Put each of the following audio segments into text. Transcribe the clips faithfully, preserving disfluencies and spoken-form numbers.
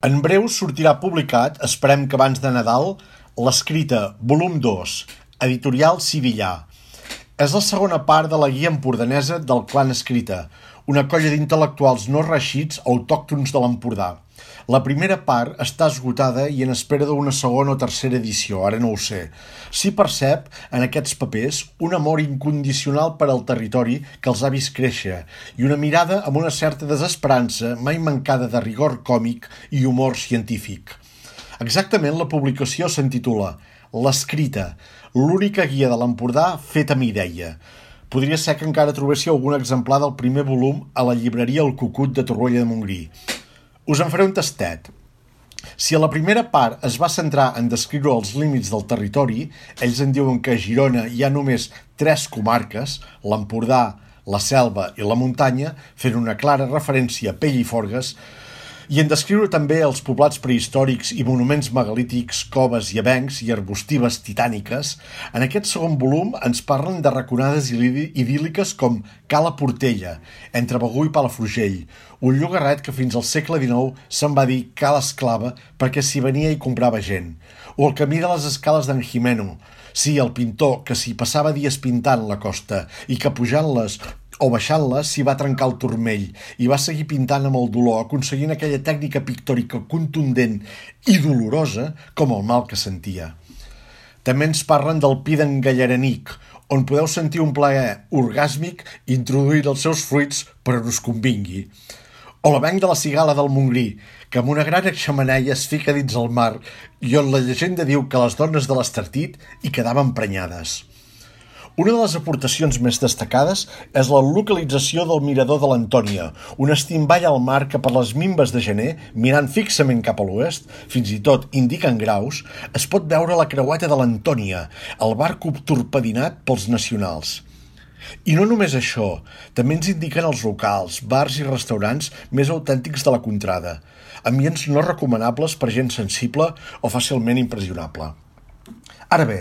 En breu sortirà publicat, esperem que abans de Nadal, l'Escrita, volum dos, editorial Sivillà. És la segona part de la guia empordanesa del Clan Escrita, una colla d'intel·lectuals no reeixits autòctons de l'Empordà. La primera part està esgotada i en espera d'una segona o tercera edició, ara no ho sé. S'hi percep, en aquests papers, un amor incondicional per al territori que els ha vist créixer i una mirada amb una certa desesperança mai mancada de rigor còmic i humor científic. Exactament la publicació s'intitula L'Escrita, l'única guia de l'Empordà feta amb idea. Podria ser que encara trobéssiu algun exemplar del primer volum a la llibreria El Cucut de Torroella de Montgrí. Us en faré un tastet. Si a la primera part es va centrar en descriure els límits del territori, ells en diuen que a Girona hi ha només tres comarques, l'Empordà, la Selva i la Muntanya, fent una clara referència a Pell i Forgues, i en descriure també els poblats prehistòrics i monuments megalítics, coves i avencs i arbustives titàniques, en aquest segon volum ens parlen de raconades idíl·liques com Cala Portella, entre Begur i Palafrugell, un llogarret que fins al segle dinou se'n va dir Cala Esclava perquè s'hi venia i comprava gent, o el camí de les escales d'en Jimeno, sí, el pintor que s'hi passava dies pintant la costa i que pujant-les o baixant-les s'hi va trencar el turmell i va seguir pintant amb el dolor, aconseguint aquella tècnica pictòrica contundent i dolorosa com el mal que sentia. També ens parlen del pi d'en Gallaranic, on podeu sentir un plaer orgàsmic introduint els seus fruits per on us convingui. O l'avenc de la Cigala del Montgrí, que amb una gran xemeneia es fica dins el mar i on la llegenda diu que les dones de l'Estartit hi quedaven prenyades. Una de les aportacions més destacades és la localització del mirador de l'Antònia, un estimball al mar que per les minves de gener, mirant fixament cap a l'oest, fins i tot indiquen graus, es pot veure la creueta de l'Antònia, el barc torpedinat pels nacionals. I no només això, també ens indiquen els locals, bars i restaurants més autèntics de la contrada, ambients no recomanables per gent sensible o fàcilment impressionable. Ara bé,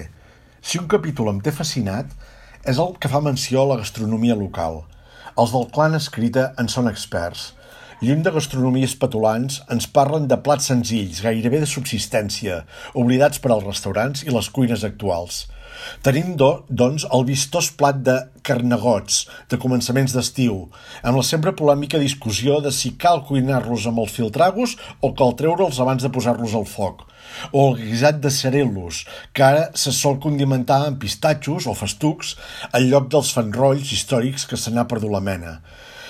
si un capítol em té fascinat, és el que fa menció a la gastronomia local. Els del Clan Escrita en són experts. Lluny de gastronomies petulants, ens parlen de plats senzills, gairebé de subsistència, oblidats per als restaurants i les cuines actuals. Tenim, do, doncs, el vistós plat de carnegots, de començaments d'estiu, amb la sempre polèmica discussió de si cal cuinar-los amb el filtragos o cal treure'ls abans de posar-los al foc, o el guisat de cerelos, que ara se sol condimentar amb pistatxos o festucs en lloc dels fanrolls històrics que se n'ha perdut la mena.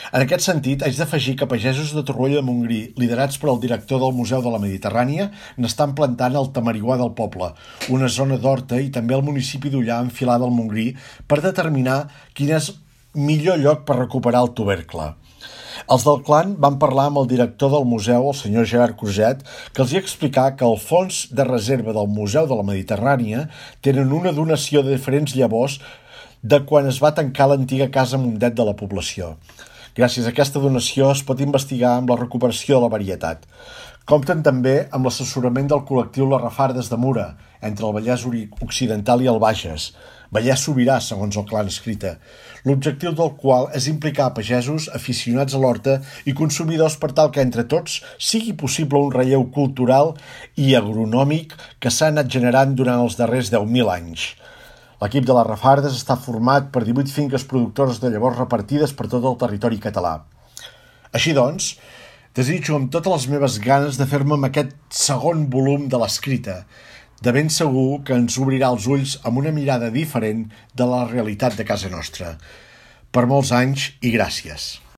En aquest sentit, haig d'afegir que pagesos de Torroella de Montgrí, liderats per el director del Museu de la Mediterrània, n'estan plantant el tamariguà del poble, una zona d'horta i també el municipi d'Ullà enfilada al Montgrí per determinar quin és millor lloc per recuperar el tubercle. Els del clan van parlar amb el director del museu, el senyor Gerard Cruzet, que els hi explicà que el fons de reserva del Museu de la Mediterrània tenen una donació de diferents llavors de quan es va tancar l'antiga casa Mundet de la població. Gràcies a aquesta donació es pot investigar amb la recuperació de la varietat. Compten també amb l'assessorament del col·lectiu Les Refardes de Mura, entre el Vallès Occidental i el Bages, Vallès Sobirà, segons el Clan Escrita, l'objectiu del qual és implicar pagesos aficionats a l'horta i consumidors per tal que entre tots sigui possible un relleu cultural i agronòmic que s'ha anat generant durant els darrers deu mil anys. L'equip de les Refardes està format per divuit finques productores de llavors repartides per tot el territori català. Així doncs, desitjo amb totes les meves ganes de fer-me amb aquest segon volum de l'Escrita, de ben segur que ens obrirà els ulls amb una mirada diferent de la realitat de casa nostra. Per molts anys i gràcies.